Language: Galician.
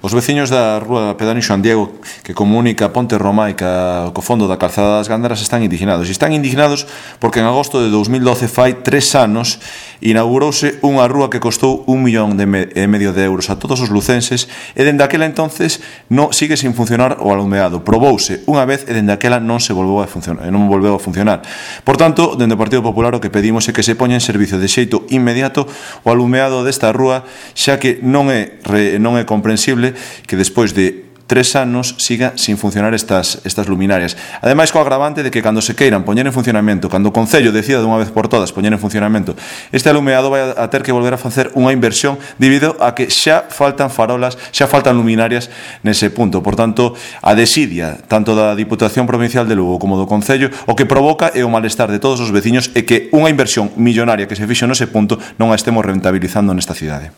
Os veciños da rúa Pedani Xoan Diego, que comunica Ponte Romaica co fondo da calzada das Gándaras, están indignados. E están indignados porque en agosto de 2012, fai 3 anos, inaugurouse unha rúa que costou 1,5 millón de euros a todos os lucenses, e dende aquela entonces sigue sin funcionar o alumeado. Probouse unha vez e dende aquela non volveu a funcionar. Por tanto, dende o Partido Popular o que pedimos é que se poña en servicio de xeito inmediato o alumeado desta rúa, xa que non é comprensible que despois de 3 anos siga sin funcionar estas luminarias. Ademais, co agravante de que cando se queiran poñer en funcionamento, cando o Concello decida dunha vez por todas poñer en funcionamento este alumeado, vai a ter que volver a facer unha inversión debido a que xa faltan farolas, xa faltan luminarias nese punto. Por tanto, a desidia tanto da Diputación Provincial de Lugo como do Concello o que provoca é o malestar de todos os veciños e que unha inversión millonaria que se fixo nese punto non a estemos rentabilizando nesta cidade.